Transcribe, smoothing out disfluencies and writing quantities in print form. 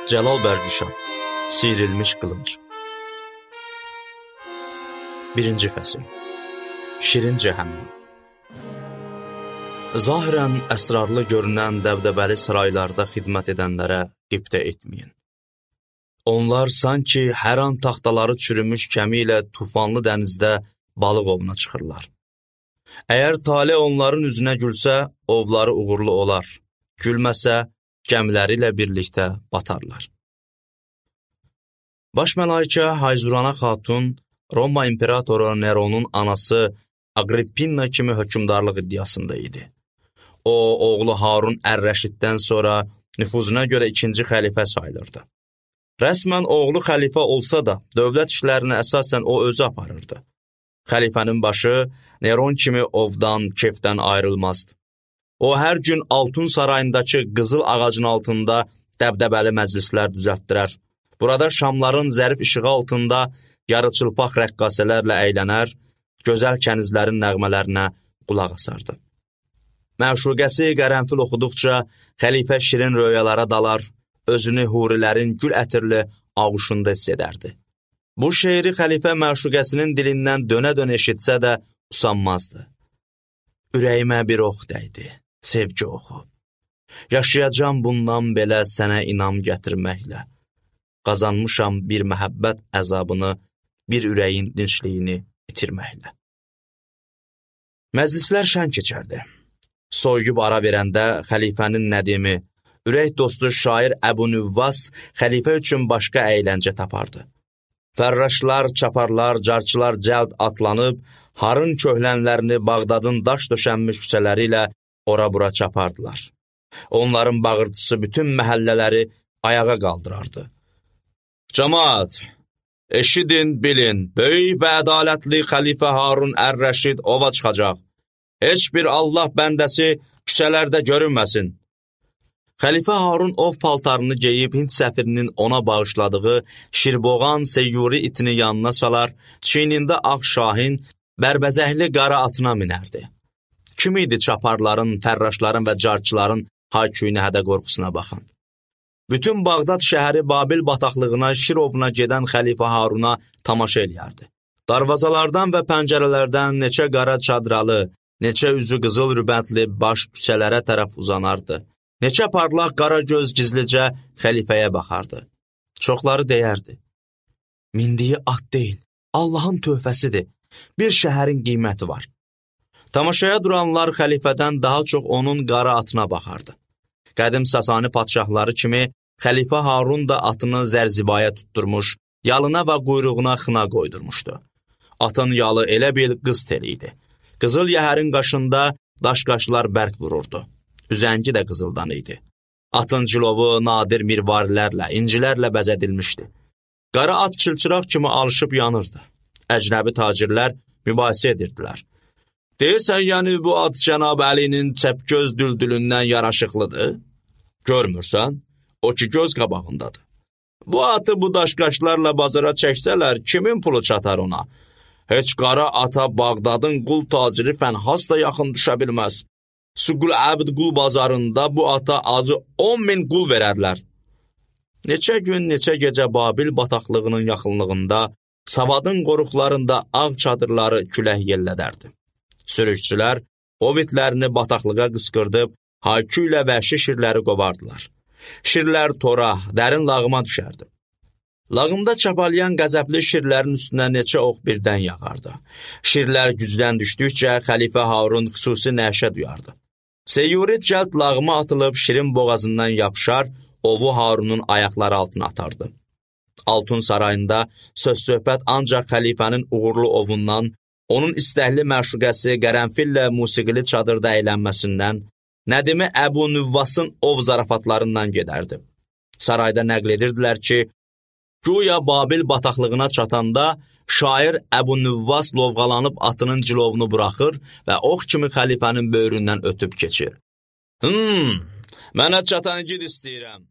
Cəlal Bərgüşan, Siyrilmiş qılınc. 1-ci fəsil. Şirin cəhənnəm. Zahirən əsrarlı görünən dəbdəbəli saraylarda xidmət edənlərə qibtə etməyin. Onlar sanki hər an taxtaları çürümüş kəmi ilə tufanlı dənizdə balıq ovuna çıxırlar. Əgər talih onların üzünə gülsə, ovları uğurlu olar. Gülməsə, gəmiləri ilə birlikdə batarlar. Baş mələikə Hayzurana xatun, Roma imperatoru Neronun anası Agrippina kimi hökmdarlıq iddiasında idi. O, oğlu Harun Ər-Rəşiddən sonra nüfuzuna görə ikinci xəlifə sayılırdı. Rəsmən oğlu xəlifə olsa da, dövlət işlərini əsasən o özü aparırdı. Xəlifənin başı Neron kimi ovdan, kefdən ayrılmazdı. O, hər gün Altun sarayındakı qızıl ağacın altında dəbdəbəli məclislər düzəltdirər. Burada şamların zərif işığı altında yarıçılpaq rəqqasələrlə əylənər, gözəl kənizlərin nəğmələrinə qulaq asardı. Məşuqəsi qərənfil oxuduqca xəlifə şirin röyalara dalar, özünü hurilərin gül ətirli ağuşunda hiss edərdi. Bu şeiri xəlifə məşuqəsinin dilindən dönə-dönə eşitsə də usanmazdı. Ürəyimə bir ox dəydi, sevgi oxu. Yaşayacam bundan belə sənə inam gətirməklə. Qazanmışam bir məhəbbət əzabını, bir ürəyin dinçliyini itirməklə. Məclislər şən keçərdi. Soyuyub ara verəndə xəlifənin nədimi, ürək dostu şair Əbu Nüvvas xəlifə üçün başqa əyləncə tapardı. Fərraşlar, çaparlar, carçılar cəld atlanıb, harın köhlənlərini Bağdadın daş döşənmiş küçələri ilə ora-bura çapardılar. Onların bağırtısı bütün məhəllələri ayağa qaldırardı. Cəmaət, eşidin, bilin, böyük və ədalətli xəlifə Harun Ər-Rəşid ova çıxacaq. Heç bir Allah bəndəsi küçələrdə görünməsin. Xəlifə Harun ov paltarını geyib Hind səfirinin ona bağışladığı şirboğan seyyuri itini yanına salar, çiynində ağ şahin, bərbəzəkli qara atına minərdi. Kim idi çaparların, fərraşların və carçıların hayküyünə hədə qorxusuna baxan? Bütün Bağdad şəhəri Babil bataqlığına, Şirovuna gedən xəlifə Haruna tamaşa eləyərdi. Darvazalardan və pəncərələrdən neçə qara çadralı, neçə üzü qızıl rübətli baş küçələrə tərəf uzanardı. Neçə parlaq qara göz gizlicə xəlifəyə baxardı. Çoxları deyərdi. Mindiyi at deyil, Allahın töhfəsidir. Bir şəhərin qiyməti var. Tamaşaya duranlar xəlifədən daha çox onun qara atına baxardı. Qədim Sasani padşahları kimi xəlifə Harun da atını zərzibaya tutturmuş, yalına və quyruğuna xına qoydurmuşdu. Atın yalı elə bil qız teli idi. Qızıl yəhərin qaşında daş-qaşlar bərk vururdu. Üzəngi də qızıldan idi. Atın cilovu nadir mirvarilərlə, incilərlə bəzədilmişdi. Qara at çılçıraq kimi alışıb yanırdı. Əcnəbi tacirlər mübahisə edirdilər. Deyirsən, yəni bu at Cənab Əlinin çəpgöz düldülündən yaraşıqlıdır? Görmürsən? O ki göz qabağındadır. Bu atı bu daşqaşlarla bazara çəksələr, kimin pulu çatar ona? Heç qara ata Bağdadın qul taciri Fənhas da yaxın düşə bilməz. Suqul Əbd qul bazarında bu ata azı 10.000 qul verərlər. Neçə gün, neçə gecə Babil bataqlığının yaxınlığında, Savadın qoruqlarında ağ çadırları külək yellədərdi. Sürükçülər ov itlərini bataqlığa qısqırdıb, haykü ilə vəhşi şirləri qovardılar. Şirlər tora, dərin lağıma düşərdi. Lağımda çapalayan qəzəbli şirlərin üstünə neçə ox birdən yağardı. Şirlər gücdən düşdükcə xəlifə Harun xüsusi nəşə duyardı. Seyyuri cəld lağıma atılıb şirin boğazından yapışar, ovu Harunun ayaqları altına atardı. Altun sarayında söz-söhbət ancaq xəlifənin uğurlu ovundan, onun istəkli məşuqəsi qərənfillə musiqili çadırda əylənməsindən, nədimi Əbu Nüvvasın ov zarafatlarından gedərdi. Sarayda nəql edirdilər ki, güya Babil bataqlığına çatanda şair Əbu Nüvvas lovğalanıb atının cilovunu buraxır və ox kimi xəlifənin böyründən ötüb keçir. Mənə çatan gid istəyirəm.